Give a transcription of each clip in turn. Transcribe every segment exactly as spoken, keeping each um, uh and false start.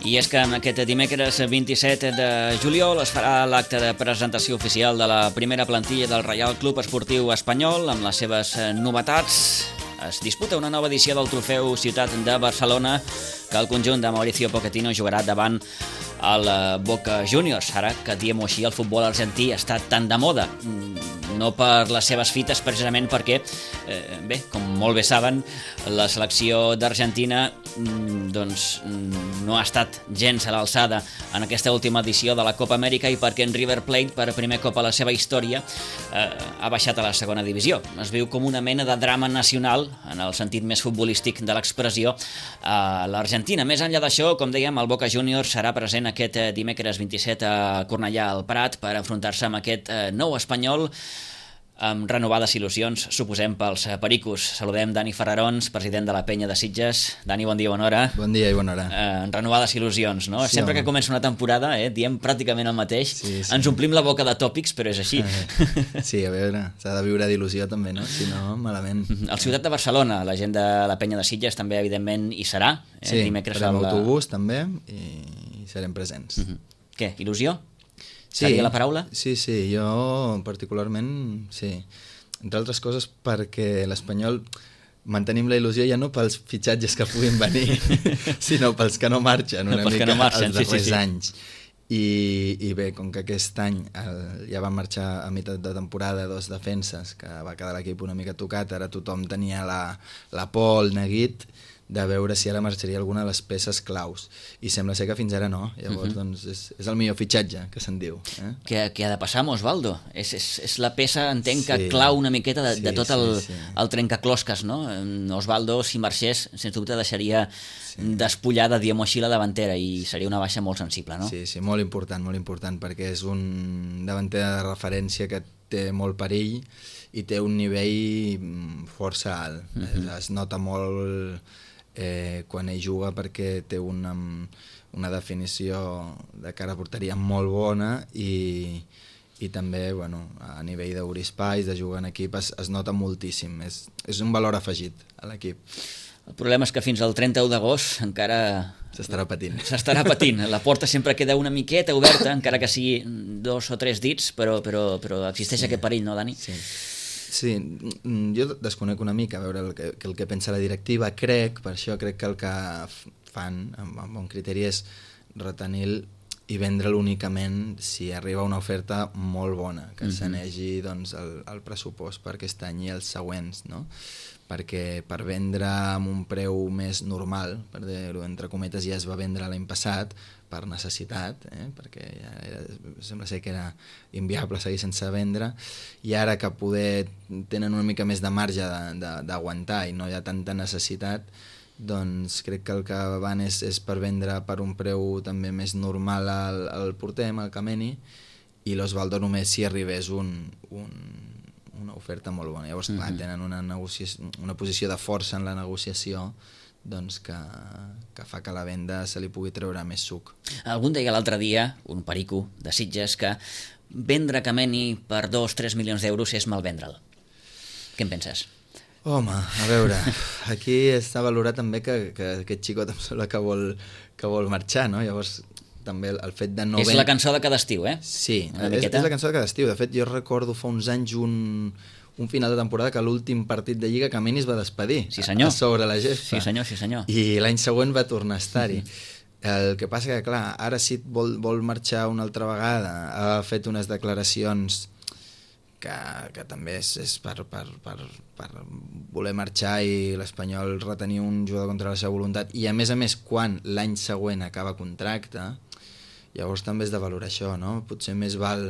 I és que aquest dimecres vint-i-set de juliol es farà l'acte de presentació oficial de la primera plantilla del Reial Club Esportiu Espanyol amb les seves novetats. Es disputa una nova edició del trofeu Ciutat de Barcelona que el conjunt de Mauricio Pochettino jugarà davant el Boca Juniors. Ara que diem-ho així, el futbol argentí està tan de moda, no per les seves fites, precisament perquè, eh, bé, com molt bé saben, la selecció d'Argentina doncs, no ha estat gens a l'alçada en aquesta última edició de la Copa Amèrica i perquè en River Plate, per primer cop a la seva història, eh, ha baixat a la segona divisió. Es viu com una mena de drama nacional, en el sentit més futbolístic de l'expressió, a l'Argentina. Més enllà d'això, com dèiem, el Boca Juniors serà present aquest dimecres vint-i-set a Cornellà al Prat per enfrontar-se amb aquest nou Espanyol amb renovades il·lusions, suposem, pels pericos. Saludem Dani Ferrarons, president de la Penya de Sitges. Dani, bon dia, bona hora. Bon dia i bona hora. Eh, renovades il·lusions, no? Sí, Sempre home. que comença una temporada, eh, diem pràcticament el mateix. Sí, sí. Ens omplim la boca de tòpics, però és així. Sí, a veure, s'ha de viure d'il·lusió també, no? Si no, malament. El Ciutat de Barcelona, la gent de la Penya de Sitges també, evidentment, hi serà. Eh? Sí, Dimecres farem al- autobús també i serem presents. Mhm. Què, il·lusió? Sí. Seria la paraula? Sí, sí, jo particularment, sí. Entre altres coses perquè l'Espanyol mantenim la il·lusió ja no pels fitxatges que puguin venir, sinó pels que no marxen una Pels que mica no marxen, els sí, darrers sí, sí. anys. I, I bé, com que aquest any el, ja van marxar a meitat de temporada dos defenses, que va quedar l'equip una mica tocat, ara tothom tenia la, la por, el neguit, de veure si ara marxaria alguna de les peces claus. I sembla ser que fins ara no. Llavors, uh-huh. doncs, és, és el millor fitxatge, que se'n diu. Eh? Què, què ha de passar amb Osvaldo? És, és, és la peça, entenc, que Sí. clau una miqueta de, Sí, de tot el, sí, sí. el trencaclosques, no? Osvaldo, si marxés, sens dubte deixaria Sí. despullada, diguem-ho així, la davantera i seria una baixa molt sensible, no? Sí, sí, molt important, molt important, perquè és un davanter de referència que té molt perill i té un nivell mm, força alt. Mhm. Es nota molt eh, quan ell juga perquè té una, una definició de cara a porteria molt bona i, i també bueno, a nivell d'obrir espais, de jugar en equip, es, es nota moltíssim. És, és un valor afegit a l'equip. El problema és que fins al trenta-u d'agost encara S'estarà patint. s'estarà patint. La porta sempre queda una miqueta oberta, encara que sigui dos o tres dits, però, però, però existeix Sí. aquest perill, no, Dani? Sí. Sí, mm, jo desconec una mica a veure el que, el que pensa la directiva. Crec, per això crec que el que f- fan amb, amb bon criteri és retenir i vendre'l únicament si arriba una oferta molt bona, que Mhm. sanegi doncs, el, el pressupost per aquest any i els següents, no? Perquè per vendre amb un preu més normal, per dir-ho entre cometes, ja es va vendre l'any passat per necessitat, eh? Perquè ja era, sembla ser que era inviable seguir sense vendre, i ara que poder tenen una mica més de marge de- de- d'aguantar i no hi ha tanta necessitat, doncs crec que el que van és, és per vendre per un preu també més normal al, al porter, al Kameni, i l'Osvaldo només si arribés un, un, una oferta molt bona. Llavors, clar, Mhm. tenen una, negociació, una posició de força en la negociació doncs que, que fa que la venda se li pugui treure més suc. Algú em deia l'altre dia, un perico de Sitges, que vendre Kameni per dos o tres milions d'euros és mal vendre'l. Què en penses? Home, a veure, aquí està valorat també que, que aquest xicot em sembla que vol, que vol marxar, no? Llavors, també el, el fet de no... és ven- la cançó de cada estiu, eh? Sí, Una és, miqueta. és la cançó de cada estiu. De fet, jo recordo fa uns anys un, un final de temporada que l'últim partit de Lliga Kameni es va despedir. Sí, senyor. A, a sobre la gespa. Sí, senyor, sí, senyor. I l'any següent va tornar a estar-hi. El que passa que, clar, ara sí vol, vol marxar una altra vegada. Ha fet unes declaracions que, que també és, és per, per, per, per voler marxar i l'Espanyol retenir un jugador contra la seva voluntat. I a més a més, quan l'any següent acaba contracte, llavors també és de valorar això, no? Potser més val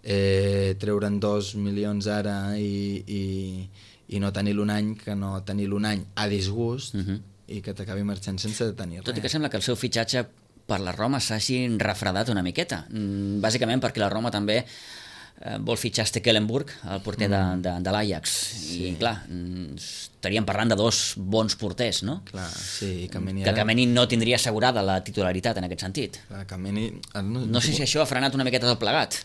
eh, treure'n dos milions ara i, i, i no tenir-lo un any que no tenir-lo un any a disgust, Mhm. i que t'acabi marxant sense tenir res. Tot i que sembla que el seu fitxatge per la Roma s'hagi refredat una miqueta, bàsicament perquè la Roma també vol fitxar Stekelenburg, el porter de, de, de l'Ajax, sí. I clar, estaríem parlant de dos bons porters, no? Clar, sí, i Kameni que ara... Kameni no tindria assegurada la titularitat en aquest sentit. Clar, Kameni... No, no sé si això ha frenat una miqueta tot plegat.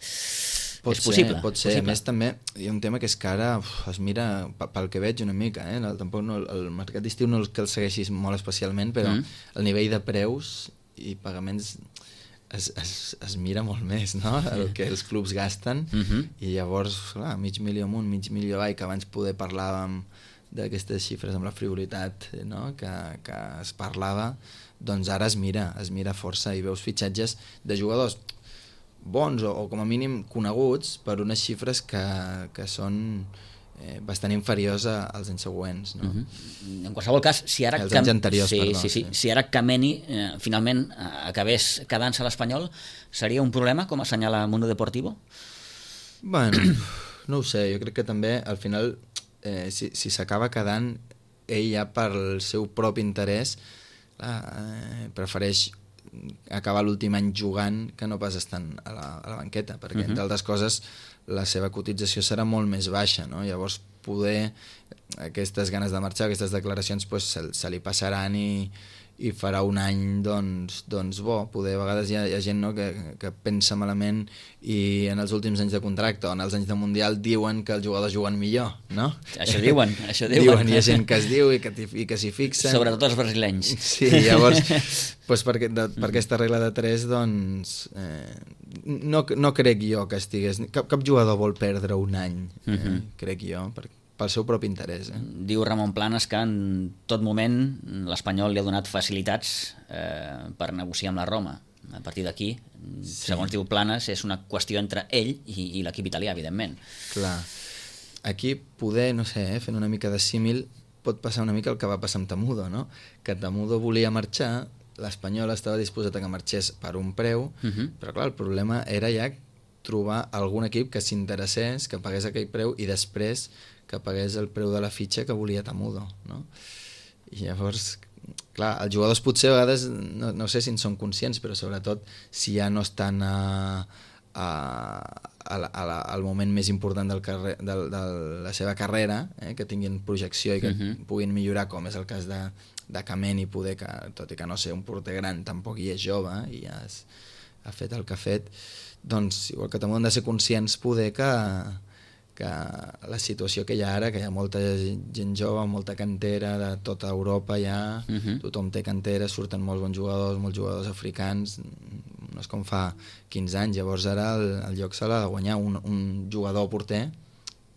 Pot és possible. Ser, pot ser. Possible. A més, també hi ha un tema que és que ara uf, es mira, pel que veig una mica, eh? El, tampoc no, el mercat d'estiu no és que el segueixis molt especialment, però mm. el nivell de preus i pagaments es, es, es mira molt més, no? El que els clubs gasten, mm-hmm. I llavors, clar, mig milió amunt, mig milió avall, que abans poder parlàvem d'aquestes xifres amb la frivolitat, no? que, que es parlava, doncs ara es mira, es mira força i veus fitxatges de jugadors bons o, o com a mínim coneguts per unes xifres que, que són eh, bastant inferiors a, als anys següents, no? Mm-hmm. En qualsevol cas, si ara... Els anys anteriors, sí, perdó. Sí, sí. Sí. Si ara Kameni eh, finalment eh, acabés quedant-se a l'Espanyol, seria un problema, com assenyala Mundo Deportivo? Bueno, no ho sé, jo crec que també al final eh, si, si s'acaba quedant ell ja pel seu propi interès clar, eh, prefereix acabar l'últim any jugant que no pas estant a la, a la banqueta, perquè, uh-huh. entre altres coses, la seva cotització serà molt més baixa, no? Llavors, poder aquestes ganes de marxar, aquestes declaracions, pues, se, se li passaran i, i farà un any, doncs, doncs bo. Poder, a vegades hi ha, hi ha gent, no, que, que pensa malament i en els últims anys de contracte o en els anys de Mundial diuen que els jugadors juguen millor, no? Això diuen, això diuen. Diuen, hi ha gent que es diu i que, i que s'hi fixen. Sobretot els brasilenys. Sí, llavors, pues per, de, per aquesta regla de tres, doncs, eh, no, no crec jo que estigués... Cap, cap jugador vol perdre un any, eh, uh-huh. crec jo, perquè pel seu propi interès. Eh? Diu Ramon Planes que en tot moment l'Espanyol li ha donat facilitats eh, per negociar amb la Roma. A partir d'aquí, sí. segons diu Planes, és una qüestió entre ell i, i l'equip italià, evidentment. Clar. Aquí poder, no sé, eh, fent una mica de símil, pot passar una mica el que va passar amb Temudo, no? Que Temudo volia marxar, l'Espanyol estava disposat a que marxés per un preu, uh-huh. però clar, el problema era ja trobar algun equip que s'interessés, que pagués aquell preu i després que pagués el preu de la fitxa que volia Temudo, no? I llavors, clar, els jugadors potser a vegades, no, no sé si en són conscients, però sobretot si ja no estan a, a, a la, a la, al moment més important del carrer, del, de la seva carrera, eh, que tinguin projecció i que uh-huh. puguin millorar, com és el cas de, de Kameni, poder que, tot i que no sé, un porter gran tampoc hi és jove i ja has, ha fet el que ha fet, doncs igual que Temudo han de ser conscients poder que que la situació que hi ha ara, que hi ha molta gent jove, molta cantera de tota Europa ja, uh-huh. tothom té cantera, surten molts bons jugadors, molts jugadors africans, no és com fa quinze anys, llavors ara el, el lloc se l'ha de guanyar un, un jugador porter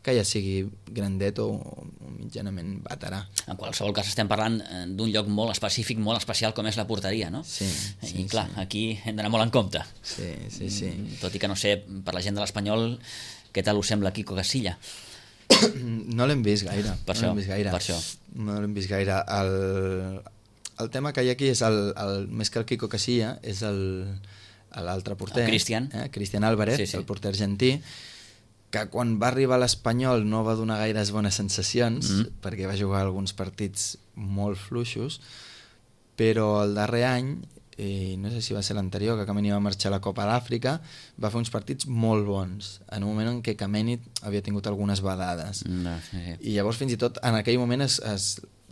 que ja sigui grandet o, o mitjanament veterà. En qualsevol cas estem parlant d'un lloc molt específic, molt especial com és la porteria, no? Sí, sí, I clar, sí. Aquí hem d'anar molt en compte. Sí, sí, sí. Tot i que no sé, per la gent de l'Espanyol, què tal us sembla Quico Casilla? No l'hem vist gaire. Per no això, l'hem vist gaire. per això. No l'hem vist gaire. El, el tema que hi ha aquí és, el, el, més que el Quico Casilla, és l'altre porter. El Cristian. Eh? Cristian Álvarez, sí, sí. El porter argentí, que quan va arribar a l'Espanyol no va donar gaires bones sensacions, mm. perquè va jugar alguns partits molt fluixos, però el darrer any, i no sé si va ser l'anterior, que Kameni va marxar a la Copa d'Àfrica, va fer uns partits molt bons, en un moment en què Kameni havia tingut algunes badades. No, sí, sí. I llavors fins i tot en aquell moment es, es,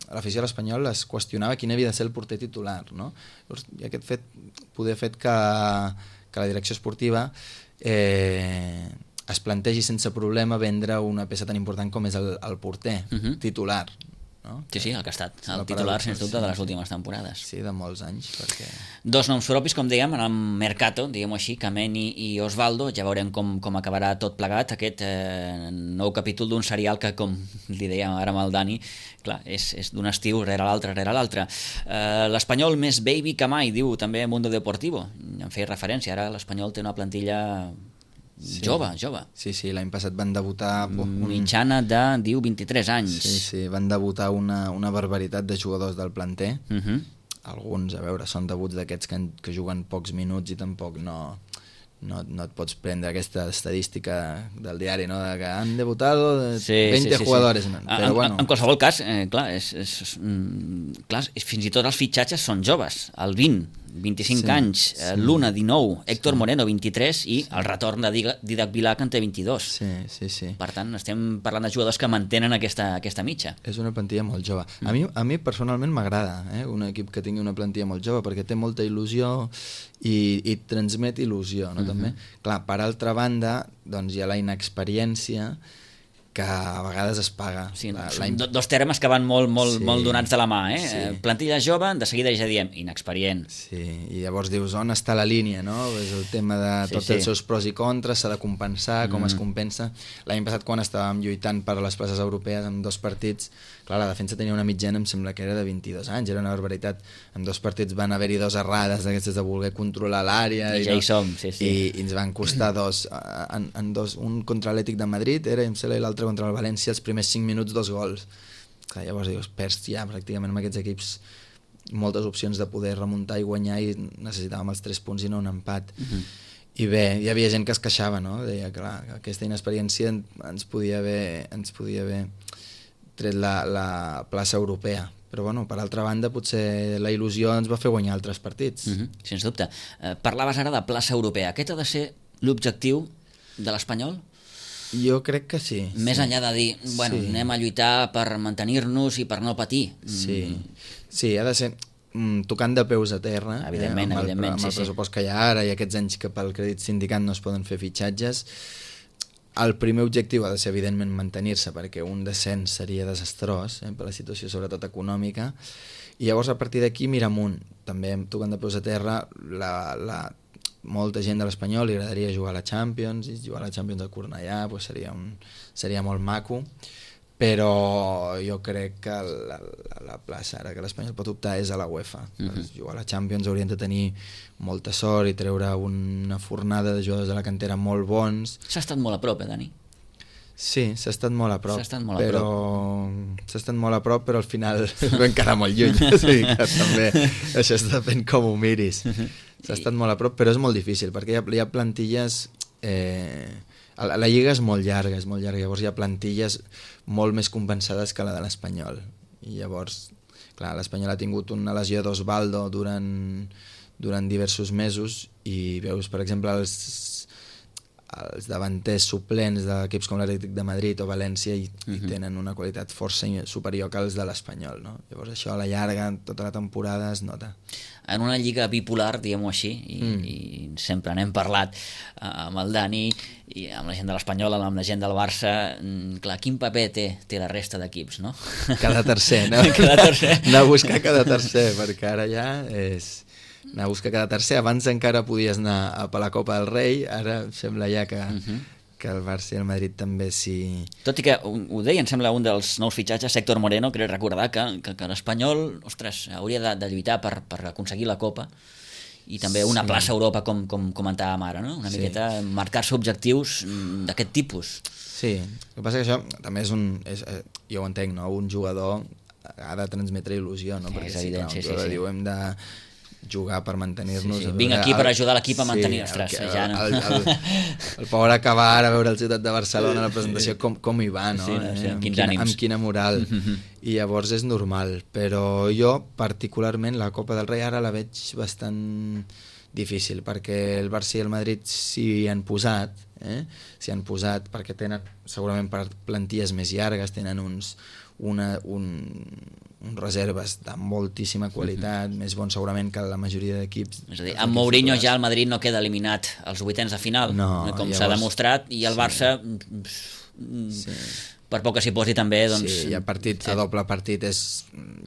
l'afició a l'Espanyol es qüestionava quin havia de ser el porter titular, no? Llavors, i aquest fet poder fet que, que la direcció esportiva eh, es plantegi sense problema vendre una peça tan important com és el, el porter uh-huh. titular, no? Sí, sí, el que ha estat el titular, sens dubte, de les últimes temporades. Sí, de molts anys, perquè... Dos noms propis, com dèiem, en el Mercato, diguem-ho així, Kameni i Osvaldo, ja veurem com, com acabarà tot plegat, aquest eh, nou capítol d'un serial que, com li dèiem ara amb el Dani, clar, és, és d'un estiu rere l'altre, rere l'altre. Eh, L'Espanyol més baby que mai, diu també Mundo Deportivo, en feia referència, ara l'Espanyol té una plantilla... Sí. Jove, jove. Sí, sí, l'any passat van debutar... Un... Mitjana de, diu, vint-i-tres anys. Sí, sí, van debutar una, una barbaritat de jugadors del planter. Uh-huh. Alguns, a veure, són debuts d'aquests que, que juguen pocs minuts i tampoc no, no, no et pots prendre aquesta estadística del diari, no? De que han debutado sí, veinte sí, sí, jugadores. Sí. Però, en, bueno. en qualsevol cas, eh, clar, és, és, mm, clar, fins i tot els fitxatges són joves, el vint, vint-i-cinc sí, anys, sí. l'Una, dinou, Héctor sí. Moreno, vint-i-tres, i sí. el retorn de Didac Vilà, que en té vint-i-dos. Sí, sí, sí. Per tant, estem parlant de jugadors que mantenen aquesta, aquesta mitja. És una plantilla molt jove. Mm. A mi, a mi personalment m'agrada eh, un equip que tingui una plantilla molt jove, perquè té molta il·lusió i, i transmet il·lusió, no? Mm-hmm. També. Clar, per altra banda, doncs hi ha la inexperiència, que a vegades es paga. Sí, la, són la... dos termes que van molt, molt, sí, molt donats de la mà. Eh? Sí. Plantilla jove, de seguida ja diem, inexperient. Sí, i llavors dius, on està la línia, no? És el tema de sí, tots sí. els seus pros i contres, s'ha de compensar, com mm. es compensa. L'any passat, quan estàvem lluitant per les places europees amb dos partits, clar, la defensa tenia una mitjana, em sembla que era de vint-i-dos anys, era una barbaritat. En dos partits van haver-hi dos errades d'aquestes de voler controlar l'àrea. I ja no? hi som, sí, sí. I, i ens van costar dos, en, en dos, un contra l'Atlètic de Madrid, era, em sembla, i l'altre contra el València, els primers cinc minuts, dos gols. Clar, llavors dius, perds ja pràcticament amb aquests equips moltes opcions de poder remuntar i guanyar, i necessitàvem els tres punts i no un empat. Uh-huh. I bé, hi havia gent que es queixava, no? Deia, clar, que aquesta inexperiència ens podia haver, ens podia haver tret la, la plaça europea. Però bueno, per altra banda, potser la il·lusió ens va fer guanyar altres partits. Uh-huh. Sens dubte. Eh, parlaves ara de plaça europea. Aquest ha de ser l'objectiu de l'Espanyol? Jo crec que sí. Més sí. enllà de dir, bueno, sí. anem a lluitar per mantenir-nos i per no patir. Sí, mm. sí, ha de ser mm, tocant de peus a terra, evidentment, eh, amb, el, evidentment, amb el sí, pressupost sí. que hi ha ara i aquests anys que pel crèdit sindicat no es poden fer fitxatges. El primer objectiu ha de ser, evidentment, mantenir-se, perquè un descens seria desastrós, eh, per la situació sobretot econòmica, i llavors a partir d'aquí mira amunt, també tocant de peus a terra. la, la molta gent de l'Espanyol li agradaria jugar a la Champions, i jugar a la Champions a Cornellà pues seria, un, seria molt maco, però jo crec que la, la, la plaça ara que l'Espanyol pot optar és a la UEFA. Uh-huh. Per jugar a la Champions haurien de tenir molta sort i treure una fornada de jugadors de la cantera molt bons. S'ha estat molt a prop, eh, Dani? Sí, s'ha estat molt a prop, s'ha estat molt a però prop. s'ha estat molt a prop, però al final vam quedar molt lluny. O sigui que també això es depèn com ho miris. S'ha estat molt a prop, però és molt difícil, perquè hi ha, hi ha plantilles... Eh, la, la lliga és molt llarga, és molt llarga, llavors hi ha plantilles molt més compensades que la de l'Espanyol. I llavors, clar, l'Espanyol ha tingut una lesió d'Osvaldo durant, durant diversos mesos, i veus, per exemple, els els davanters suplents d'equips com l'Atlètic de Madrid o València i, uh-huh. i tenen una qualitat força superior que els de l'Espanyol, no? Llavors això a la llarga, tota la temporada es nota. En una lliga bipolar, diguem-ho així, i, mm. i sempre n'hem parlat uh, amb el Dani i amb la gent de l'Espanyol, amb la gent del Barça, mm, clar, quin paper té, té la resta d'equips, no? Cada tercer, no? Cada tercer. Anar a buscar cada tercer, perquè ara ja és... anar a buscar cada tercer. Abans encara podies anar a per la Copa del Rei, ara sembla ja que, uh-huh. que el Barça i el Madrid també s'hi... Tot i que, ho deia, em sembla un dels nous fitxatges, Héctor Moreno, crec recordar que, que, que l'Espanyol, ostres, hauria de, de lluitar per, per aconseguir la Copa i també una sí. plaça a Europa, com, com comentàvem ara, no? Una sí. miqueta marcar-se objectius d'aquest tipus. Sí, el que passa que això també és un... És, jo ho entenc, no? Un jugador ha de transmetre il·lusió, no? Sí, perquè és evident, si, clar, un sí, jugador sí, sí. diu hem de jugar per mantenir-nos. Sí, sí. Vinc aquí per ajudar l'equip a mantenir, sí, ostres, el, ja no. El, el, el pobre acabar ara a veure el Ciutat de Barcelona, la presentació, com, com hi va, no? Sí, no sí, eh? amb, amb, quins quina, ànims. amb quina moral. I llavors és normal, però jo particularment la Copa del Rei ara la veig bastant difícil, perquè el Barça i el Madrid s'hi han posat, eh? s'hi han posat perquè tenen segurament per plantilles més llargues, tenen uns, una, un, uns reserves de moltíssima qualitat, uh-huh. més bons segurament que la majoria d'equips. És a dir, amb Mourinho ja el Madrid no queda eliminat als vuitens de final, no, com llavors, s'ha demostrat, i el sí. Barça, sí. per poc que s'hi posi també, doncs... Sí, hi ha partit, sí. a doble partit és,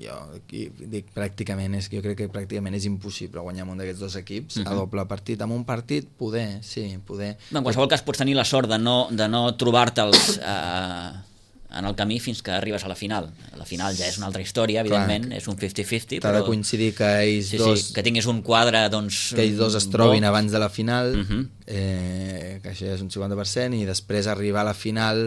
jo dic pràcticament, és, jo crec que pràcticament és impossible guanyar un d'aquests dos equips, uh-huh. a doble partit. Amb un partit, poder, sí, poder. En qualsevol cas pots tenir la sort de no, de no trobar-te'ls... Eh, en el camí fins que arribes a la final. La final ja és una altra història, evidentment, clar, és un cinquanta cinquanta, però... T'ha de coincidir que ells sí, dos... Sí, que tinguis un quadre, doncs... Que ells dos es trobin bo. Abans de la final, uh-huh. eh, que això és un cinquanta per cent, i després arribar a la final,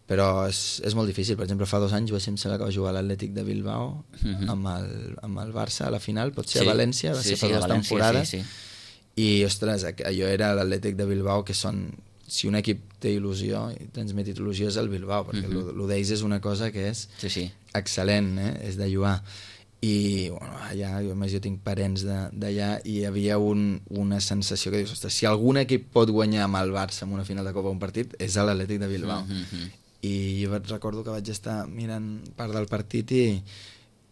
però és, és molt difícil. Per exemple, fa dos anys va ser, em sembla que va jugar l'Atlètic de Bilbao uh-huh. amb, el, amb el Barça a la final, pot ser sí, a València, va sí, ser fa sí, dues València, temporades, sí, sí. i, ostres, allò era l'Atlètic de Bilbao, que són, si un equip té il·lusió i transmet il·lusió és el Bilbao, perquè uh-huh. l'Udeix és una cosa que és sí, sí. excel·lent, eh? És de lluar. I bueno, allà, jo, més jo tinc parents d'allà, i hi havia un, una sensació que dius, ostres, si algun equip pot guanyar amb el Barça en una final de Copa un partit, és l'Atlètic de Bilbao. Uh-huh. I jo recordo que vaig estar mirant part del partit i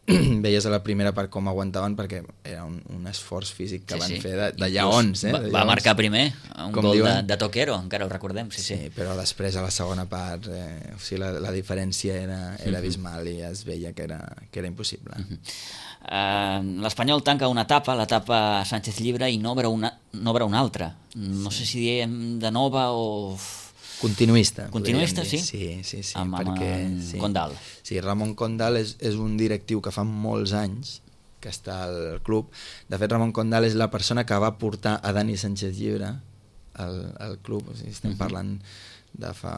veies a la primera part com aguantaven, perquè era un, un esforç físic que sí, van sí. fer de, de lleons. Eh? Va, de va lleons. Marcar primer un com gol diuen, de, de Toquero, encara ho recordem. Sí, sí. sí, però després a la segona part eh, o sigui, la, la diferència era, era abismal i es veia que era, que era impossible. Uh-huh. uh, L'Espanyol tanca una etapa, l'etapa Sánchez Llibre, i n'obre una, n'obre una altra. No sé si diem de nova o... Continuista. Continuista, sí? Sí, sí, sí. Amb, perquè, amb sí. Condal. Sí, Ramon Condal és, és un directiu que fa molts anys que està al club. De fet, Ramon Condal és la persona que va portar a Dani Sánchez Llibre al, al club. O sigui, estem uh-huh. parlant de fa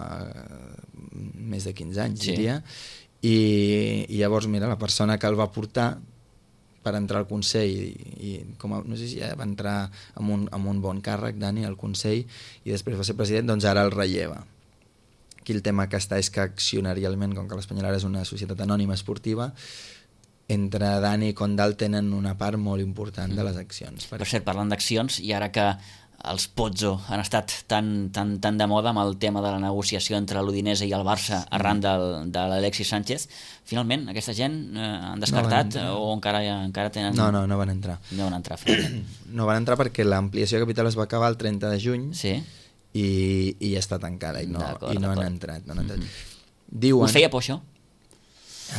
més de quinze anys, sí. diria. I, I llavors, mira, la persona que el va portar per entrar al Consell, i, i com a, no sé si ja va entrar amb un, amb un bon càrrec, Dani, al Consell, i després va ser president, doncs ara el relleva. Aquí el tema que està és que accionarialment, com que l'Espanyol ara és una societat anònima esportiva, entre Dani i Condal tenen una part molt important mm. de les accions. Per cert, parlant d'accions, i ara que els Pozzo han estat tan, tan, tan de moda amb el tema de la negociació entre l'Udinese i el Barça sí. arran del, de l'Alexis Sánchez, finalment aquesta gent eh, han descartat no o encara, encara tenen... No, no, no van entrar. No van entrar, finalment. No van entrar perquè l'ampliació de capital es va acabar el trenta de juny sí. i, i ja està tancada i no, i no han entrat. No han entrat. Mm-hmm. Diuen... Us feia por això?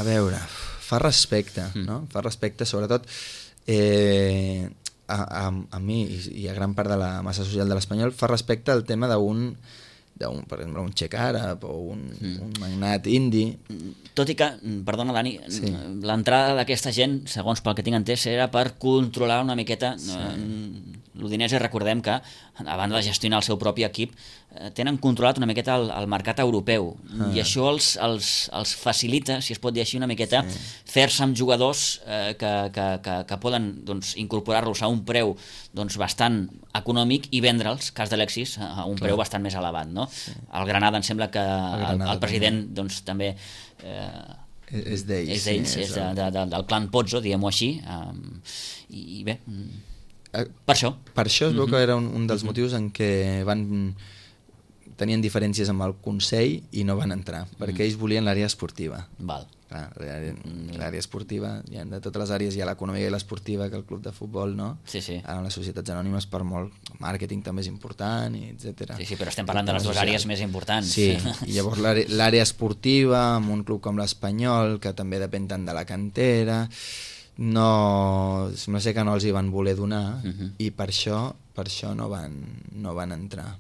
A veure, fa respecte, mm. no? Fa respecte, sobretot... Eh, A, a, a mi i a gran part de la massa social de l'Espanyol fa respecte al tema d'un, d'un per exemple, un xec àrab o un, mm. un magnat indi. Tot i que, perdona Dani, sí. l'entrada d'aquesta gent, segons pel que tinc entès, era per controlar una miqueta sí. l'Udinese. Recordem que, a banda de gestionar el seu propi equip, tenen controlat una miqueta el, el mercat europeu ah. i això els, els, els facilita, si es pot dir així una miqueta, sí. fer-se amb jugadors eh, que, que, que, que poden doncs, incorporar-los a un preu doncs, bastant econòmic i vendre'ls, cas d'Alexis, a un Clar. preu bastant més elevat. No? Sí. El Granada em sembla que el, el, el president doncs, també eh, és d'ells, és, d'ells, sí, és de, de, de, del clan Pozzo, diguem-ho així, um, i, i bé, per això. Per això es veu que era un, un dels motius en què van tenien diferències amb el Consell i no van entrar, perquè ells volien l'àrea esportiva. Val. Clar, l'àrea esportiva, hi ha de totes les àrees, hi ha l'econòmica i l'esportiva, que el club de futbol, no? Sí, sí. Ara les societats anònimes per molt màrqueting també és important, i etcètera. Sí, sí, però estem parlant de les dues àrees més importants. Sí, i llavors l'àrea esportiva, amb un club com l'Espanyol, que també depèn tant de la cantera, no, sembla ser que no els hi van voler donar, uh-huh. i per això, per això no van, no van entrar.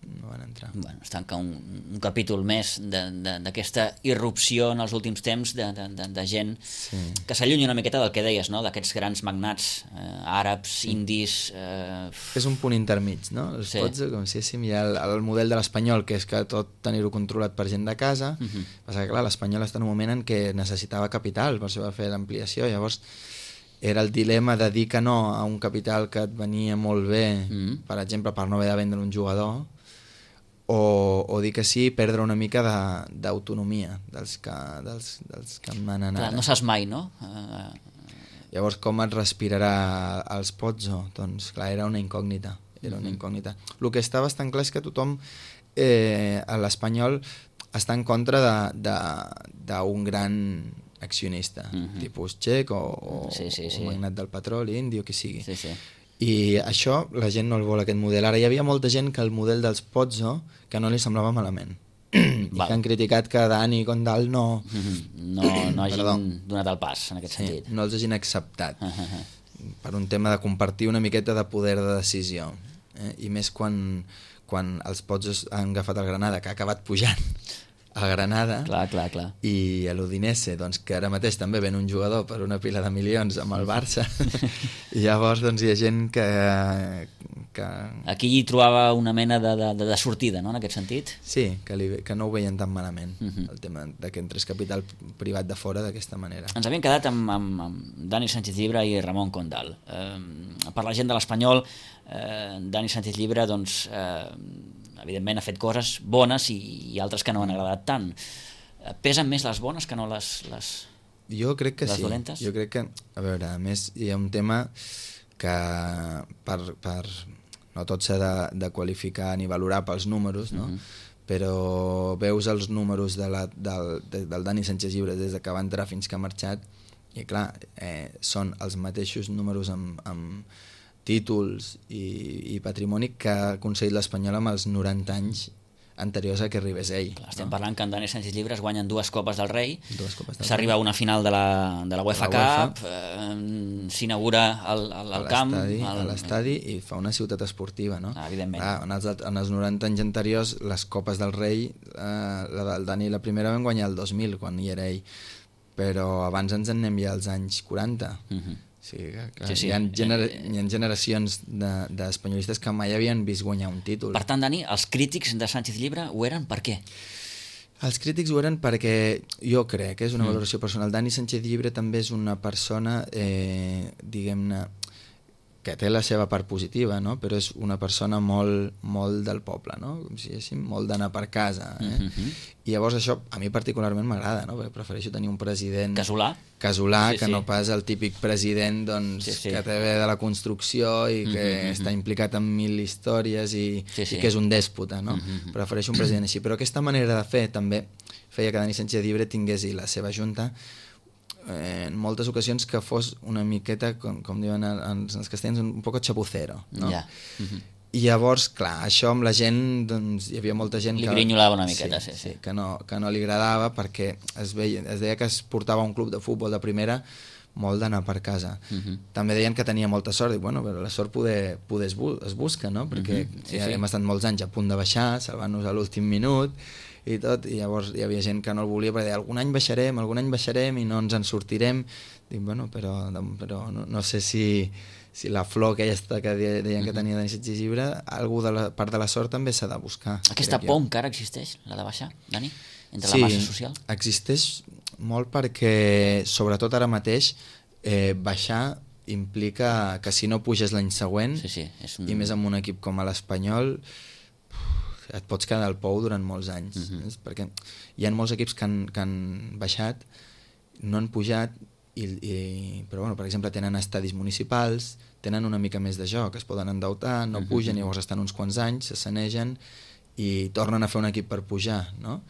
no van entrar. Bueno, es tanca un, un capítol més d'aquesta irrupció en els últims temps de, de, de, de gent sí. que s'allunya una miqueta del que deies, no? D'aquests grans magnats eh, àrabs, sí. indis... Eh... És un punt intermig, no? Els sí. pots, com si hi ha el, el model de l'Espanyol, que és que tot tenir-ho controlat per gent de casa, uh-huh. passa que clar, l'Espanyol està en un moment en què necessitava capital, per això va fer l'ampliació, llavors era el dilema de dir que no a un capital que et venia molt bé, uh-huh. per exemple, per no haver de vendre un jugador, O, o dir que sí, perdre una mica d'autonomia de, dels, que, dels, dels que manen ara. No saps mai, no? Uh... Llavors, com et respirarà els Pozzo? Doncs, clar, era una incògnita. Era una incògnita. El que està bastant clar és que tothom, eh, a l'Espanyol, està en contra d'un gran accionista, uh-huh. tipus txec o, o, sí, sí, sí. o magnat del petroli, indi o qui sigui. Sí, sí. I això la gent no el vol, aquest model. Ara hi havia molta gent que el model dels Pozzo que no li semblava malament i que han criticat que Dani i Condal no no, no hagin donat el pas en aquest sí, sentit, no els hagin acceptat per un tema de compartir una miqueta de poder de decisió, eh? I més quan, quan els Pozzo han agafat el Granada, que ha acabat pujant a Granada, clar, clar, clar. I a l'Udinese, doncs, que ara mateix també ven un jugador per una pila de milions amb el Barça, i llavors doncs, hi ha gent que, que... Aquí hi trobava una mena de, de, de sortida, no?, en aquest sentit? Sí, que, li, que no ho veien tan malament, uh-huh. el tema de que entrés capital privat de fora d'aquesta manera. Ens havíem quedat amb, amb, amb Dani Sánchez Llibre i Ramon Condal. Eh, per la gent de l'Espanyol, eh, Dani Sánchez Llibre, doncs, eh, evidentment ha fet coses bones i, i altres que no han agradat tant. Eh, pesen més les bones que no les, les, jo crec que les sí. dolentes? Jo crec que, a veure, a més hi ha un tema que per, per no tot s'ha de, de qualificar ni valorar pels números, no? Mm-hmm. Però veus els números de la, del, de, del Dani Sánchez Llibre des que va entrar fins que ha marxat i clar, eh, són els mateixos números amb, amb títols i, i patrimoni que ha aconseguit l'Espanyol amb els noranta anys anteriors a que arribés ell. Clar, estem no? parlant que en Dani Sánchez Llibre es guanyen dues Copes del Rei, s'arriba a una final de la, de la UEFA Cup, eh, s'inaugura el, el, el camp... El... a l'estadi i fa una ciutat esportiva, no? Ah, evidentment. Clar, en, els, en els noranta anys anteriors, les Copes del Rei, eh, la del Dani la primera van guanyar el dos mil, quan hi era ell, però abans ens en anem ja als anys quaranta. Uh-huh. Sí, clar, sí, sí. Hi, ha genera hi ha generacions d'espanyolistes de, que mai havien vist guanyar un títol. Per tant, Dani, els crítics de Sánchez Llibre ho eren per què? Els crítics ho eren perquè, jo crec, és una mm. valoració personal, Dani Sánchez Llibre també és una persona, eh, diguem-ne, que té la seva part positiva, no? Però és una persona molt, molt del poble, no? Com si diguéssim, molt d'anar per casa. Eh? Mm-hmm. I llavors això a mi particularment m'agrada, no? Perquè prefereixo tenir un president... Casolà? Casolà, sí, que sí. no pas el típic president doncs, sí, sí. que té ve de la construcció i que mm-hmm. està implicat en mil històries i, sí, sí. i que és un dèspota, no? Mm-hmm. Prefereixo un president així. Però aquesta manera de fer també feia que Dani Sánchez Llibre tingués i la seva junta Eh, en moltes ocasions que fos una miqueta, com, com diuen els, els castellans, un, un poco chapucero, no? Yeah. Mm-hmm. I llavors, clar, això amb la gent, doncs, hi havia molta gent li que... Li grinyolava una miqueta, sí, sí, sí, sí. Que, no, que no li agradava perquè es, veia, es deia que es portava un club de futbol de primera molt d'anar per casa. Mm-hmm. També deien que tenia molta sort, i bueno, però la sort poder, poder es, bu es busca, no? Perquè mm-hmm. sí, ja sí. hem estat molts anys a punt de baixar, salvant-nos a l'últim minut, i tot, i llavors hi havia gent que no el volia perquè deia, algun any baixarem, algun any baixarem i no ens en sortirem. Dic, bueno, però, però no, no sé si, si la flor aquesta que deien que tenia Dani Sánchez Llibre, algú de la part de la sort també s'ha de buscar. Aquesta por encara existeix, la de baixar, Dani? Entre sí, la massa social? Sí, existeix molt perquè, sobretot ara mateix, eh, baixar implica que si no puges l'any següent, sí, sí, és un... i més amb un equip com l'Espanyol, et pots quedar al pou durant molts anys. Uh-huh. Perquè hi ha molts equips que han, que han baixat, no han pujat, i, i, però bueno, per exemple tenen estadis municipals, tenen una mica més de joc, es poden endeutar, no uh-huh. pugen, llavors estan uns quants anys, se sanegen i tornen a fer un equip per pujar, no?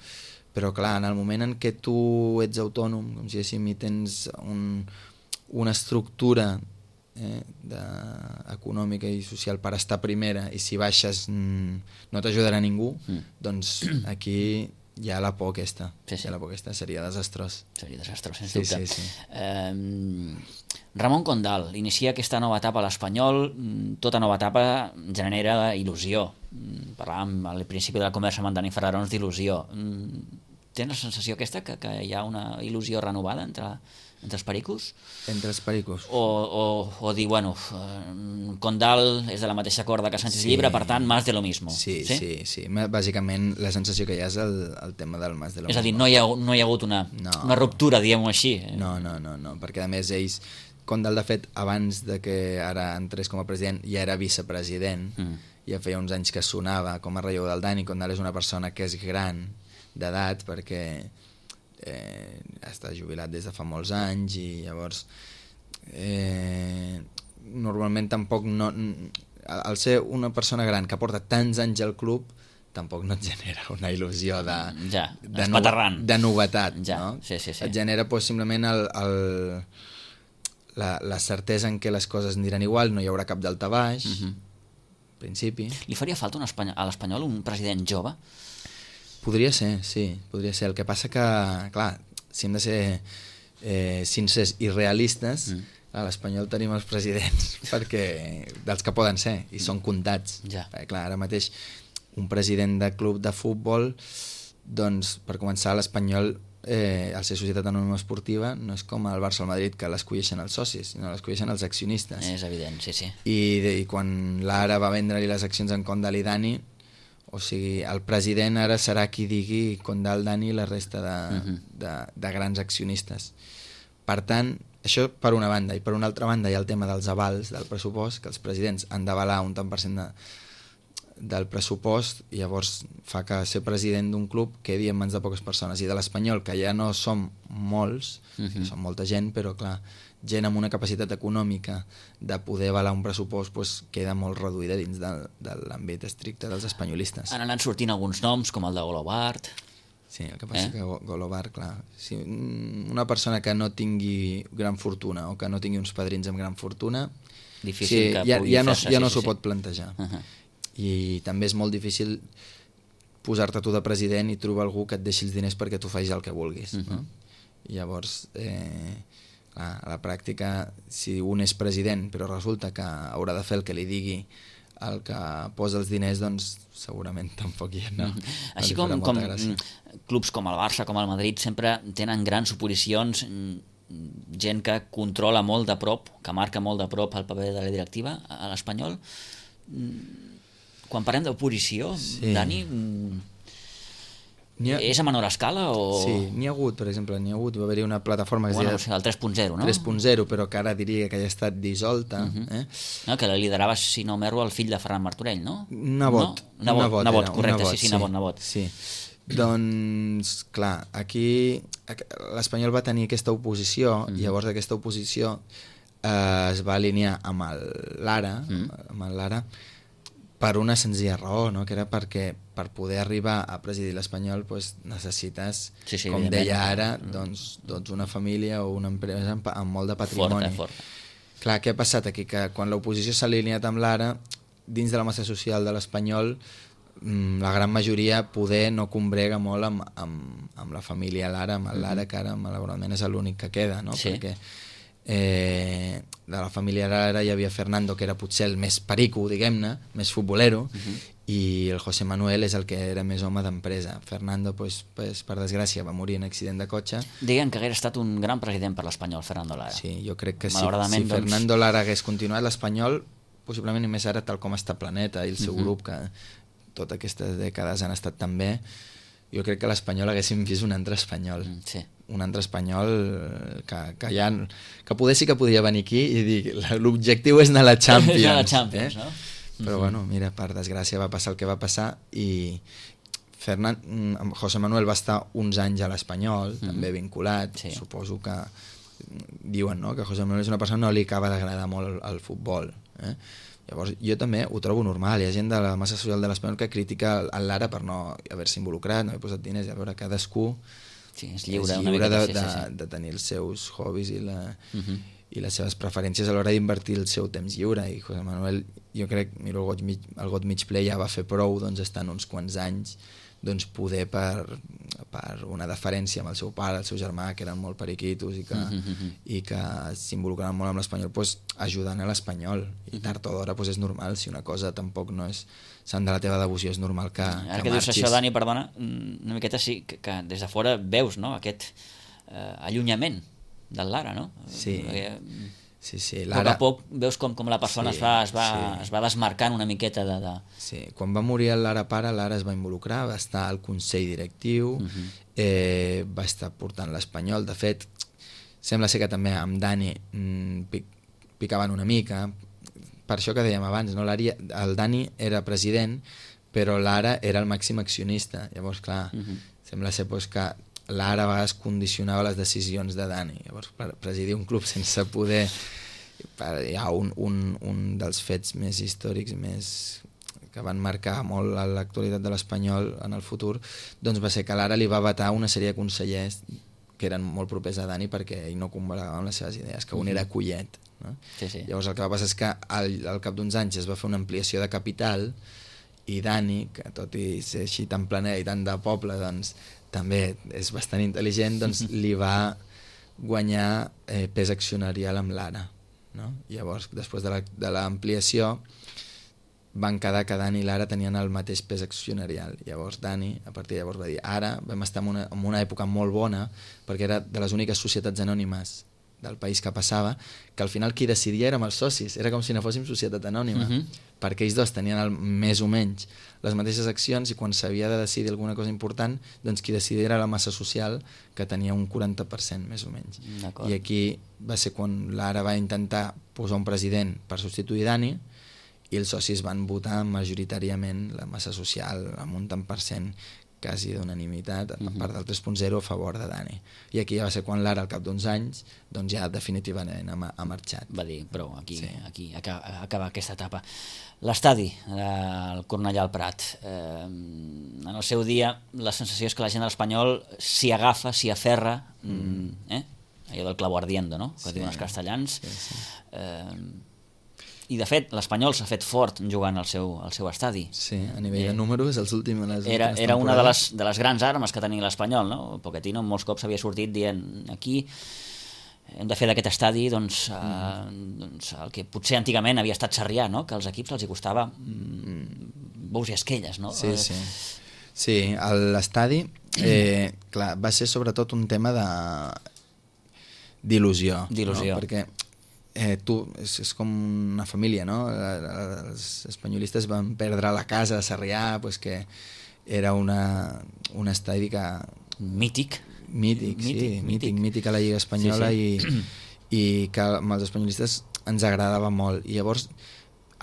Però clar, en el moment en què tu ets autònom, com si diguéssim, i tens un, una estructura eh, de, econòmica i social per estar primera, i si baixes mm, no t'ajudarà ningú, mm. doncs aquí hi ha la por aquesta. Sí, sí. La por aquesta seria desastrós. Seria desastrós, sens sí, dubte. Sí, sí. Eh, Ramon Condal inicia aquesta nova etapa a l'Espanyol. Tota nova etapa genera il·lusió. Parlàvem al principi de la conversa amb en Dani Ferrarons d'il·lusió. Tens la sensació aquesta que, que hi ha una il·lusió renovada entre, entre els pericos? Entre els pericos. O, o, o dir, bueno, Condal és de la mateixa corda que Sánchez sí. Llibre, per tant, más de lo mismo. Sí, sí, sí, sí. Bàsicament la sensació que hi ha és el, el tema del más de lo és mismo. És a dir, no hi ha, no hi ha hagut una, no. una ruptura, diguem-ho així. No, no, no, no, perquè a més ells, Condal de fet, abans de que ara entrés com a president, ja era vicepresident, mm. ja feia uns anys que sonava com a relleu del Dani. Condal és una persona que és gran d'edat perquè eh, està jubilat des de fa molts anys i llavors eh, normalment tampoc no, al ser una persona gran que porta tants anys al club tampoc no et genera una il·lusió de, ja, de, no, de novetat, ja, no? Sí, sí, sí. Et genera pues, simplement el, el, la, la certesa en què les coses aniran igual, no hi haurà cap daltabaix, uh-huh. principi. Li faria falta un espany- a l'Espanyol un president jove? Podria ser, sí, podria ser. El que passa que, clar, si hem de ser eh, sincers i realistes, mm. a l'Espanyol tenim els presidents perquè dels que poden ser, i són comptats. Ja. Perquè, clar, ara mateix un president de club de futbol, doncs, per començar, l'Espanyol, eh, al ser societat anònima esportiva, no és com el Barça o el Madrid, que l'escolleixen els socis, sinó l'escolleixen els accionistes. És evident, sí, sí. I, i quan l'Ara va vendre-li les accions en Condal i Dani, o sigui, el president ara serà qui digui Condal, Dani i la resta de, uh-huh. de, de grans accionistes. Per tant, això per una banda, i per una altra banda hi ha el tema dels avals del pressupost, que els presidents han d'avalar un tant per cent de, del pressupost, i llavors fa que ser president d'un club quedi en mans de poques persones, i de l'Espanyol, que ja no som molts, uh-huh. som molta gent, però clar, gent amb una capacitat econòmica de poder avalar un pressupost pues, queda molt reduïda dins de, de l'àmbit estricte dels espanyolistes. Han anat sortint alguns noms, com el de Golobart. Sí, el que passa eh? que Golobart, clar, si una persona que no tingui gran fortuna o que no tingui uns padrins amb gran fortuna, difícil sí, que ja, pugui ja no, fer-se, ja no sí, s'ho sí. pot plantejar. Uh-huh. I també és molt difícil posar-te tu de president i trobar algú que et deixi els diners perquè tu facis el que vulguis. Uh-huh. No? I llavors, eh, clar, a la pràctica, si un és president però resulta que haurà de fer el que li digui el que posa els diners, doncs segurament tampoc hi ha. No, no Així com, com clubs com el Barça, com el Madrid, sempre tenen grans oposicions, gent que controla molt de prop, que marca molt de prop el paper de la directiva a l'Espanyol. Quan parlem d'oposició, sí. Dani, ha... és a menor escala o...? Sí, n'hi ha hagut, per exemple, n'hi ha hagut, va haver-hi una plataforma que bueno, es deia... el tres punt zero, no? tres punt zero, però que ara diria que ja ha estat dissolta. Uh-huh. eh? No, que la liderava, si no m'erro, el fill de Ferran Martorell, no? Nebot. No? Nebot, nebot, nebot, era, correcte, nebot, sí, sí, nebot, nebot. Sí. Doncs, clar, aquí l'Espanyol va tenir aquesta oposició, uh-huh. i llavors aquesta oposició eh, es va alinear amb l'Ara, uh-huh. amb l'Ara, per una senzilla raó, no? Que era perquè per poder arribar a presidir l'Espanyol pues, necessites, sí, sí, com deia ara, doncs, doncs una família o una empresa amb, amb molt de patrimoni. Forta, forta. Clar, què ha passat aquí? Que quan l'oposició s'ha alineat amb l'Ara, dins de la massa social de l'Espanyol, la gran majoria poder no combrega molt amb, amb, amb la família Lara, amb l'Ara, que ara malauradament és l'únic que queda, no? Sí. Perquè eh, de la família Lara hi havia Fernando, que era potser el més perico, diguem-ne, més futbolero, uh-huh. i el José Manuel és el que era més home d'empresa. Fernando, pues, pues, per desgràcia, va morir en accident de cotxe. Deien que hagués estat un gran president per l'Espanyol, Fernando Lara. Sí, jo crec que si, si doncs... Fernando Lara hagués continuat l'Espanyol, possiblement i més ara tal com està Planeta i el seu uh-huh. grup, que totes aquestes dècades han estat tan bé, jo crec que l'Espanyol haguéssim vist un altre espanyol. Mm, sí. Un altre espanyol que, que, ja, que poder sí que podia venir aquí i dir l'objectiu és anar a la Champions. a la Champions, eh? no? Però mm-hmm. bueno, mira, per desgràcia va passar el que va passar i Fernand, José Manuel va estar uns anys a l'Espanyol, mm-hmm. també vinculat, sí. Suposo que diuen, no?, que José Manuel és una persona que no li acaba d'agradar molt el, el futbol, eh? Llavors jo també ho trobo normal, hi ha gent de la massa social de l'Espanyol que critica el Lara per no haver-se involucrat, no haver posat diners, a veure, cadascú sí, és lliure, és lliure de, sí, de, sí, sí. de tenir els seus hobbies i, la, uh-huh. i les seves preferències a l'hora d'invertir el seu temps lliure, i José Manuel, jo crec, miro el got mig, el got mig ple ja va fer prou, doncs estan uns quants anys doncs poder per, per una deferència amb el seu pare, el seu germà, que eren molt periquitos i que, uh-huh. i que s'involucraven molt amb l'Espanyol, pues, ajudant a l'Espanyol. I tard o d'hora pues, és normal, si una cosa tampoc no és sant de la teva devoció, és normal que, Ara que, que marxis. Dius això, Dani, perdona, una miqueta sí, que, que des de fora veus, no?, aquest eh, allunyament del Lara, no? Sí. Perquè, Sí, sí, Lara... A poc a poc veus com, com la persona sí, es, va, es, va, sí. es va desmarcant una miqueta de... de... Sí, quan va morir el Lara pare, l'Ara es va involucrar, va estar al Consell Directiu, uh-huh. eh, va estar portant l'Espanyol. De fet, sembla ser que també amb Dani mm, pic, picaven una mica, per això que dèiem abans, no? El Dani era president, però l'Ara era el màxim accionista. Llavors, clar, uh-huh. sembla ser pues, que l'Ara a vegades condicionava les decisions de Dani. Llavors, per presidir un club sense poder... Hi ha un, un, un dels fets més històrics, més que van marcar molt l'actualitat de l'Espanyol en el futur, doncs va ser que l'Ara li va vetar una sèrie de consellers que eren molt propers a Dani perquè ell no convalaven les seves idees, que un era Collet. No? Sí, sí. Llavors el que va passar és que al, al cap d'uns anys es va fer una ampliació de capital i Dani, que tot i ser així tan planer i tan de poble, doncs també és bastant intel·ligent, doncs li va guanyar eh, pes accionarial amb l'Ara. No? Llavors, després de l'ampliació, van quedar que Dani i l'Ara tenien el mateix pes accionarial. Llavors Dani, a partir de llavors, va dir ara vam estar en una, en una època molt bona, perquè era de les úniques societats anònimes del país que passava, que al final qui decidia érem els socis, era com si no fóssim societat anònima, uh-huh. perquè ells dos tenien el, més o menys les mateixes accions i quan s'havia de decidir alguna cosa important, doncs qui decidia era la massa social, que tenia un quaranta per cent més o menys. I aquí va ser quan l'Ara va intentar posar un president per substituir Dani i els socis van votar majoritàriament la massa social amb un tant per cent quasi d'unanimitat a part del tres punt zero a favor de Dani. I aquí ja va ser quan l'Ara, al cap d'uns anys, doncs ja definitivament ha, ha marxat. Va dir, prou, aquí, sí. aquí acaba, acaba aquesta etapa. L'estadi, el Cornellà al Prat, eh, en el seu dia la sensació és que la gent de l'Espanyol s'hi agafa, s'hi aferra, mm. eh? allò del clavo ardiendo, no? que sí. diuen els castellans. Sí, sí. Eh, I de fet l'Espanyol s'ha fet fort jugant al seu, al seu estadi. Sí, a nivell eh, de números els últims, les era, era una de les, de les grans armes que tenia l'Espanyol, no? Pochettino molts cops havia sortit dient aquí hem de fer d'aquest estadi doncs, mm. eh, doncs el que potser antigament havia estat Sarrià, no? Que als equips els hi costava mm, bous i esquelles, no? Sí, sí. Sí, l'estadi eh, clar, va ser sobretot un tema de d'il·lusió, d'il·lusió. No? Perquè Eh, tu, és, és com una família, no? Els espanyolistes van perdre la casa de Sarrià, pues que era una, un estadi que... Mític. Mític, sí, mític, mític, mític a la Lliga Espanyola sí, sí. I, i que amb els espanyolistes ens agradava molt. I llavors,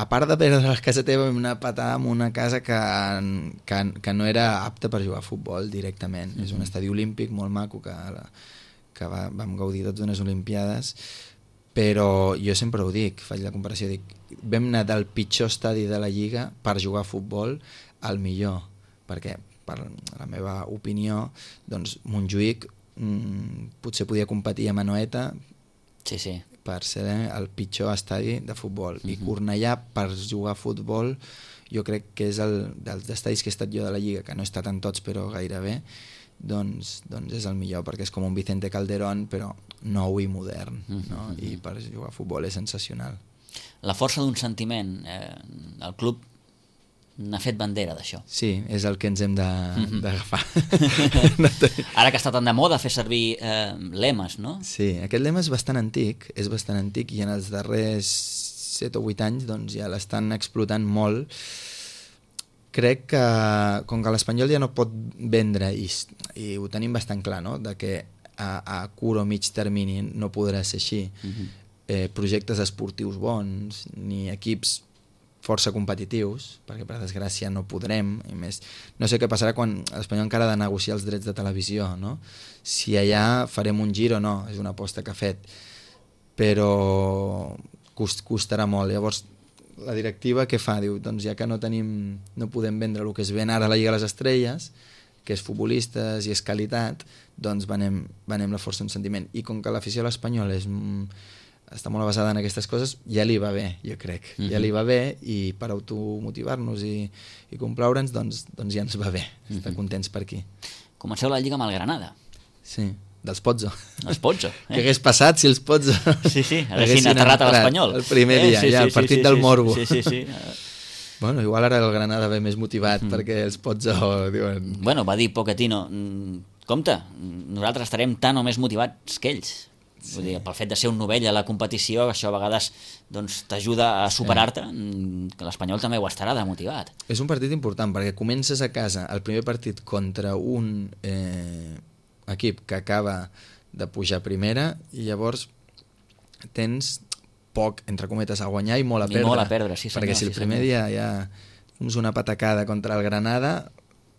a part de perdre la casa teva, vam anar a patar en una casa que, que, que no era apta per jugar a futbol directament. Mm-hmm. És un estadi olímpic molt maco que, que va, vam gaudir tots d'unes olimpiades, però jo sempre ho dic, faig la comparació, dic, vam anar del pitjor estadi de la Lliga per jugar a futbol al millor, perquè per la meva opinió doncs Montjuïc mmm, potser podia competir amb Anoeta sí, sí. per ser el pitjor estadi de futbol, uh-huh. i Cornellà per jugar a futbol jo crec que és el dels estadis que he estat jo de la Lliga, que no he estat en tots però gairebé, doncs, doncs és el millor, perquè és com un Vicente Calderón però nou i modern, mm-hmm. no? I per jugar a futbol és sensacional. La força d'un sentiment, eh, el club n'ha fet bandera d'això. Sí, és el que ens hem d'agafar. Mm-hmm. Ara que està tan de moda fer servir eh, lemes, no? Sí, aquest lema és bastant antic, és bastant antic i en els darrers set o vuit anys doncs, ja l'estan explotant molt. Crec que com que l'Espanyol ja no pot vendre i, i ho tenim bastant clar, no? De que a, a curt o mig termini no podrà ser així, uh-huh. eh, projectes esportius bons ni equips força competitius, perquè per desgràcia no podrem, i més, no sé què passarà quan l'Espanyol encara ha de negociar els drets de televisió, no? Si allà farem un gir o no, és una aposta que ha fet, però cost, costarà molt. Llavors la directiva què fa? Diu, doncs ja que no tenim, no podem vendre el que es ven ara a la Lliga de les Estrelles, que és futbolistes i és qualitat, doncs venem, venem la força d'un sentiment. I com que l'afició a l'Espanyol és, està molt basada en aquestes coses, ja li va bé, jo crec. Mm-hmm. Ja li va bé i per automotivar-nos i, i complaure'ns, doncs, doncs ja ens va bé. Mm-hmm. Estar contents per aquí. Comenceu la Lliga amb el Granada. Sí, dels Pozzo. Els Pozzo. Eh? Què hagués passat si els Pozzo sí, sí, haguessin aterrat a l'Espanyol. El primer dia, eh? sí, ja, sí, el partit sí, sí, del Morbo. Sí, sí, sí. Bueno, igual ara el Granada ve més motivat mm. perquè els Pozzo diuen... Bueno, va dir Pochettino, compte, nosaltres estarem tan o més motivats que ells. Sí. Vull dir, pel fet de ser un novell a la competició, això a vegades doncs, t'ajuda a superar-te, sí. que l'Espanyol també ho estarà de motivat. És un partit important perquè comences a casa el primer partit contra un eh, equip que acaba de pujar a primera i llavors tens poc, entre cometes, a guanyar i molt a I perdre. molt a perdre, sí senyor. Perquè si el sí, primer senyor. dia ja fums una patacada contra el Granada,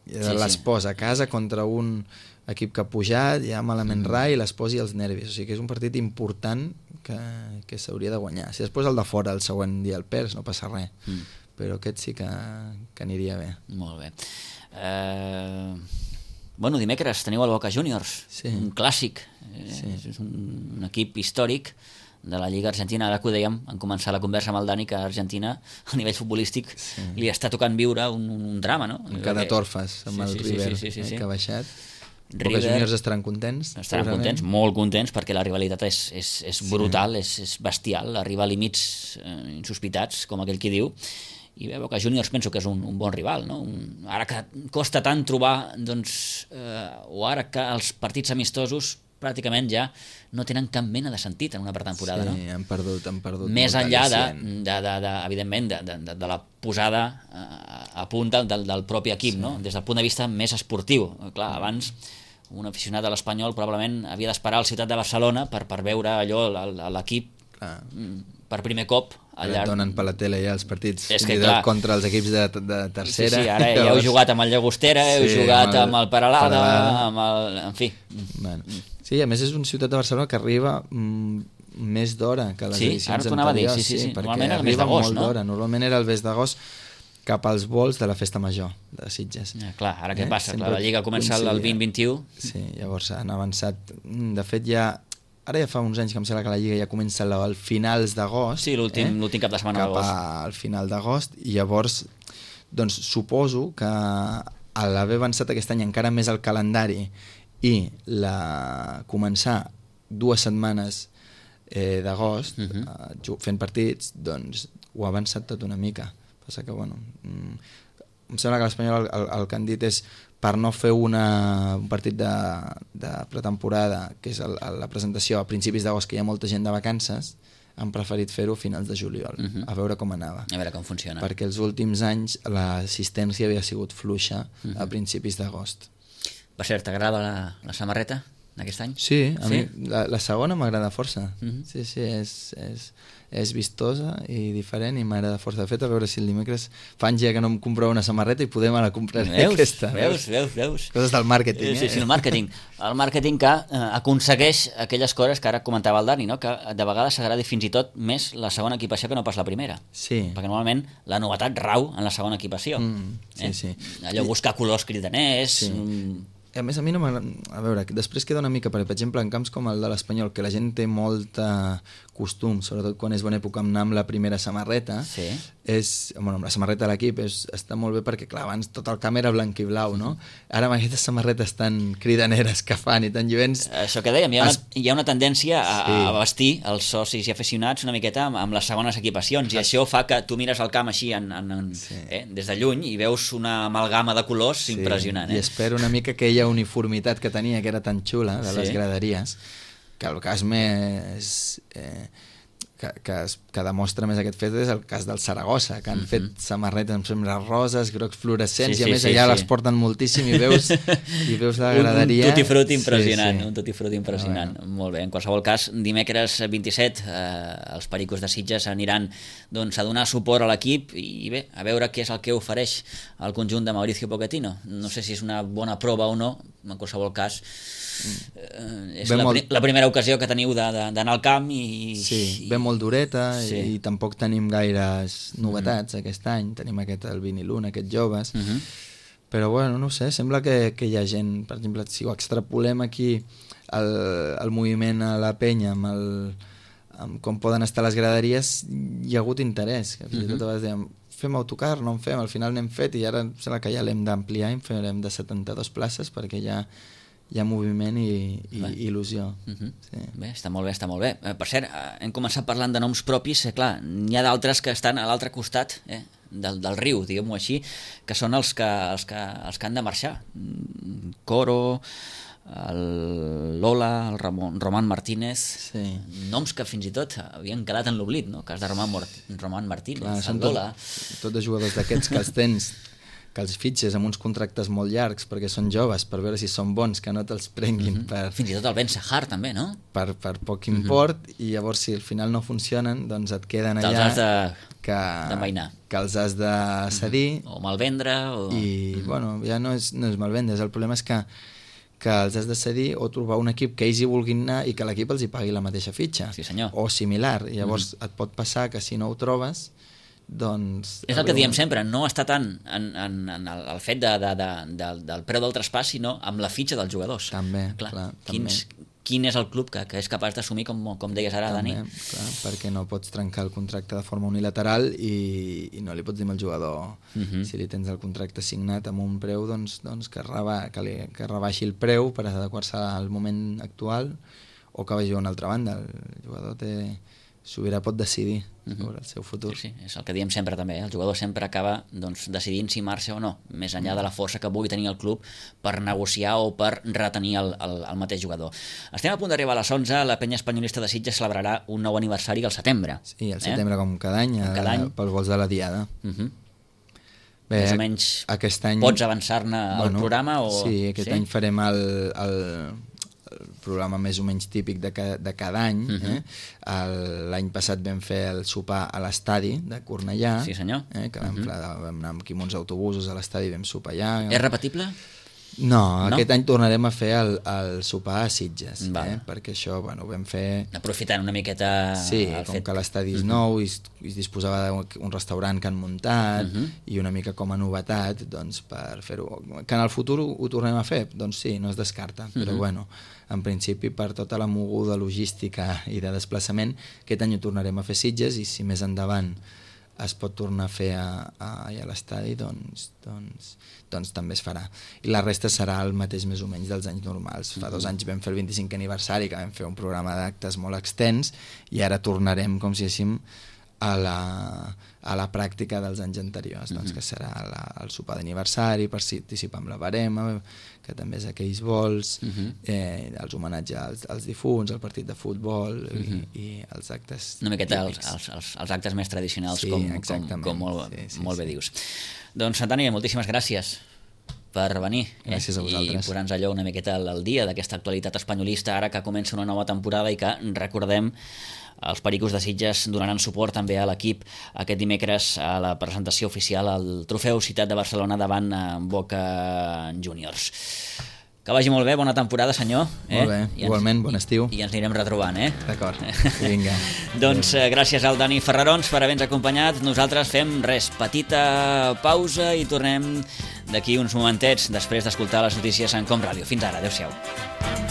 sí, les sí. posa a casa contra un equip que ha pujat, ja malament mm. rai, i les posi als nervis. O sigui que és un partit important que, que s'hauria de guanyar. Si després el de fora el següent dia el perds, no passa res. Mm. Però aquest sí que, que aniria bé. Molt bé. Eh... Bueno, dimecres teniu el Boca Juniors, sí. un clàssic, eh, sí. és un, un equip històric de la Lliga Argentina. Ara que ho dèiem, en començar la conversa amb el Dani, que a Argentina, a nivell futbolístic, sí. li està tocant viure un, un drama, no? En cada torfes, amb sí, el sí, River, sí, sí, sí, sí. Eh, que ha baixat. River, Boca Juniors estaran contents? Estaran contents, molt contents, perquè la rivalitat és, és, és brutal, sí. és, és bestial, arriba a límits eh, insospitats, com aquell qui diu, i bé, Boca Juniors penso que és un, un bon rival, no? Un, ara que costa tant trobar, doncs, eh, o ara que els partits amistosos pràcticament ja no tenen cap mena de sentit en una pretemporada, no? Sí, han perdut, han perdut més molt enllà de, al·licient. de, de, de, evidentment, de, de, de la posada a, a punt del, del propi equip, sí. No? Des del punt de vista més esportiu. Clar, abans un aficionat a l'Espanyol probablement havia d'esperar al Ciutat de Barcelona per, per veure allò, l'equip per primer cop al llarg... Donen per la tele ja els partits és que, clar, contra els equips de, de tercera. Sí, sí, ara ja heu jugat amb el Llagostera, heu sí, jugat amb el, amb el Peralada, Peralada, amb el... en fi. Bueno, sí, a més és un Ciutat de Barcelona que arriba mm, més d'hora que les sí, edicions ara anteriors. Sí, sí, sí, sí. Perquè Normalment era el mes arriba d'agost, molt no? d'hora. Normalment era el mes d'agost cap als vols de la Festa Major de Sitges. Ja, clar, ara què eh? passa? Clar, la Lliga comença el vint vint-un. Sí, llavors han avançat. De fet, ja... Ara ja fa uns anys que em sembla que la Lliga ja comença al finals d'agost. Sí, l'últim eh? cap de setmana d'agost. Cap al final d'agost, i llavors doncs suposo que a l'haver avançat aquest any encara més el calendari i la començar dues setmanes eh, d'agost uh -huh. eh, fent partits, doncs ho ha avançat tot una mica. Passa que, bueno, mm, em sembla que l'Espanyol el, el, el que han dit és per no fer una, un partit de, de pretemporada, que és el, la presentació a principis d'agost, que hi ha molta gent de vacances, han preferit fer-ho a finals de juliol, uh -huh. a veure com anava. A veure com funciona. Perquè els últims anys l'assistència havia sigut fluixa uh -huh. a principis d'agost. Per cert, t'agrada la, la samarreta d'aquest any? Sí, a sí? mi la, la segona m'agrada força. Uh -huh. Sí, sí, és... és és vistosa i diferent i m'agrada força. De fet, a veure si el dimecres fa anys ja que no em comprava una samarreta i poder me la compraré veus, aquesta. Veus, veus, veus. Coses del màrqueting, eh? Sí, sí, el màrqueting. El màrqueting que eh, aconsegueix aquelles coses que ara comentava el Dani, no? Que de vegades s'agradi fins i tot més la segona equipació que no pas la primera. Sí. Perquè normalment la novetat rau en la segona equipació. Mm, sí, eh? sí. Allò buscar colors cridaners... Sí. Mm, a més, a mi no m'agrada... A veure, després queda una mica, per exemple, en camps com el de l'Espanyol, que la gent té molta costum, sobretot quan és bona època anar amb la primera samarreta, sí. és, bueno, amb la samarreta de l'equip és, està molt bé perquè, clar, abans tot el camp era blanc i blau, no? Ara amb aquestes samarretes tan cridaneres que fan i tan lluents... Això que dèiem, hi ha, es... una, hi ha una tendència a, sí. a vestir els socis i aficionats una miqueta amb, amb les segones equipacions, i això fa que tu mires el camp així en, en, en, sí. eh, des de lluny i veus una amalgama de colors sí. impressionant. Eh? I espero una mica que aquella uniformitat que tenia, que era tan xula, de les sí. graderies, que el cas més... Eh, que, que, es, que demostra més aquest fet és el cas del Saragossa, que han mm -hmm. fet samarretes amb sembres roses, grocs fluorescents, sí, sí, i a més sí, allà sí. les porten moltíssim i veus, i veus la graderia... Un, un tutti-frutti impressionant, sí, sí. un tutti-frutti impressionant. Ah, molt bé, en qualsevol cas, dimecres vint-i-set eh, els Pericos de Sitges aniran doncs, a donar suport a l'equip i bé, a veure què és el que ofereix el conjunt de Mauricio Pochettino. No sé si és una bona prova o no, en qualsevol cas eh, és la, molt... la primera ocasió que teniu d'anar al camp i... Sí, ve molt dureta sí. i, i tampoc tenim gaires novetats mm. aquest any, tenim aquest el Vinilun, aquests joves, mm -hmm. però bueno, no ho sé, sembla que, que hi ha gent, per exemple, si ho extrapolem aquí el, el moviment a la penya amb, el, amb com poden estar les graderies, hi ha hagut interès, que fins i tot a vegades dèiem fem autocar, no en fem, al final n'hem fet i ara sembla que ja l'hem d'ampliar i en farem de setanta-dues places perquè ja hi ha moviment i, i il·lusió. Uh -huh. sí. Bé, està molt bé, està molt bé. Per cert, hem començat parlant de noms propis, eh, clar, n'hi ha d'altres que estan a l'altre costat eh, del, del riu, diguem-ho així, que són els que, els, que, els que han de marxar. Coro, el Lola, el Ramon, Román Martínez, sí. noms que fins i tot havien quedat en l'oblit, no? El cas de Román, Román Martínez, clar, el Lola... Tot, tot de jugadors d'aquests que els tens que els fitxes amb uns contractes molt llargs perquè són joves, per veure si són bons, que no te'ls prenguin mm -hmm. per... Fins i tot el Ben Sahar també, no? Per, per poc import, mm -hmm. i llavors si al final no funcionen, doncs et queden allà... Te'ls has de... que, d'envainar. Que els has de cedir... Mm -hmm. O malvendre, o... I, mm -hmm. bueno, ja no és, no és malvendre, el problema és que que els has de cedir o trobar un equip que ells hi vulguin anar i que l'equip els hi pagui la mateixa fitxa. Sí, senyor. O similar. I llavors mm -hmm. et pot passar que si no ho trobes, doncs... És el que diem sempre, no està tant en, en, en el, el fet de, de, de, de, del preu del traspàs, sinó amb la fitxa dels jugadors. També, clar. clar quins, també. Quin és el club que, que és capaç d'assumir, com, com deies ara, també, Dani? Clar, perquè no pots trencar el contracte de forma unilateral i, i no li pots dir al jugador, uh -huh. si li tens el contracte signat amb un preu, doncs, doncs que, reba, que, li, que rebaixi el preu per adequar-se al moment actual o que vagi a una altra banda. El jugador té... Sobirà pot decidir sobre el seu futur. Sí, sí, és el que diem sempre també, eh? El jugador sempre acaba doncs, decidint si marxa o no, més enllà de la força que pugui tenir el club per negociar o per retenir el, el, el mateix jugador. Estem a punt d'arribar a les onze, la penya espanyolista de Sitges celebrarà un nou aniversari al setembre. Sí, al setembre eh? com cada any, com cada any. Pels vols de la Diada. Uh -huh. Bé, més o menys aquest any... pots avançar-ne al bueno, programa? O... Sí, aquest sí? any farem el, el, el programa més o menys típic de, ca, de cada any. Uh -huh. eh? L'any passat vam fer el sopar a l'estadi de Cornellà, sí, senyor. Eh? que vam, uh -huh. vam anar aquí amb uns autobusos a l'estadi i vam sopar allà. És repetible? No, no, aquest any tornarem a fer el, el sopar a Sitges, eh? perquè això bueno, ho vam fer... Aprofitant una miqueta... Sí, com fet... que l'estadi és uh -huh. nou i es, es disposava d'un restaurant que han muntat uh -huh. i una mica com a novetat doncs, per fer-ho. Que en el futur ho, ho tornem a fer? Doncs sí, no es descarta, però uh -huh. bueno, en principi per tota la moguda logística i de desplaçament, aquest any ho tornarem a fer Sitges i si més endavant es pot tornar a fer a, a, a l'estadi, doncs, doncs, doncs també es farà. I la resta serà el mateix més o menys dels anys normals. Fa dos anys vam fer el vint-i-cinquè aniversari, que vam fer un programa d'actes molt extens, i ara tornarem, com si diguéssim, a la, a la pràctica dels anys anteriors, doncs, que serà la, el sopar d'aniversari, participar amb la barema, que també és aquells vols, uh-huh. eh, els homenatges als, als difunts, el partit de futbol uh-huh. i, i els actes una miqueta els, els, els, els actes més tradicionals, sí, com, com, com molt, sí, sí, molt bé sí. dius. Doncs, Antoni, moltíssimes gràcies per venir eh? Gràcies a vosaltres. I posar-nos allò una miqueta al dia d'aquesta actualitat espanyolista, ara que comença una nova temporada i que, recordem, els Pericos de Sitges donaran suport també a l'equip aquest dimecres a la presentació oficial al Trofeu Ciutat de Barcelona davant Boca Juniors. Que vagi molt bé, bona temporada, senyor. Eh? Molt bé, ens, igualment, bon estiu. I, I ens anirem retrobant, eh? D'acord, vinga. Doncs eh, gràcies al Dani Ferrarons per haver-nos acompanyat. Nosaltres fem res, petita pausa i tornem d'aquí uns momentets després d'escoltar les notícies en Com Ràdio. Fins ara, adeu-siau.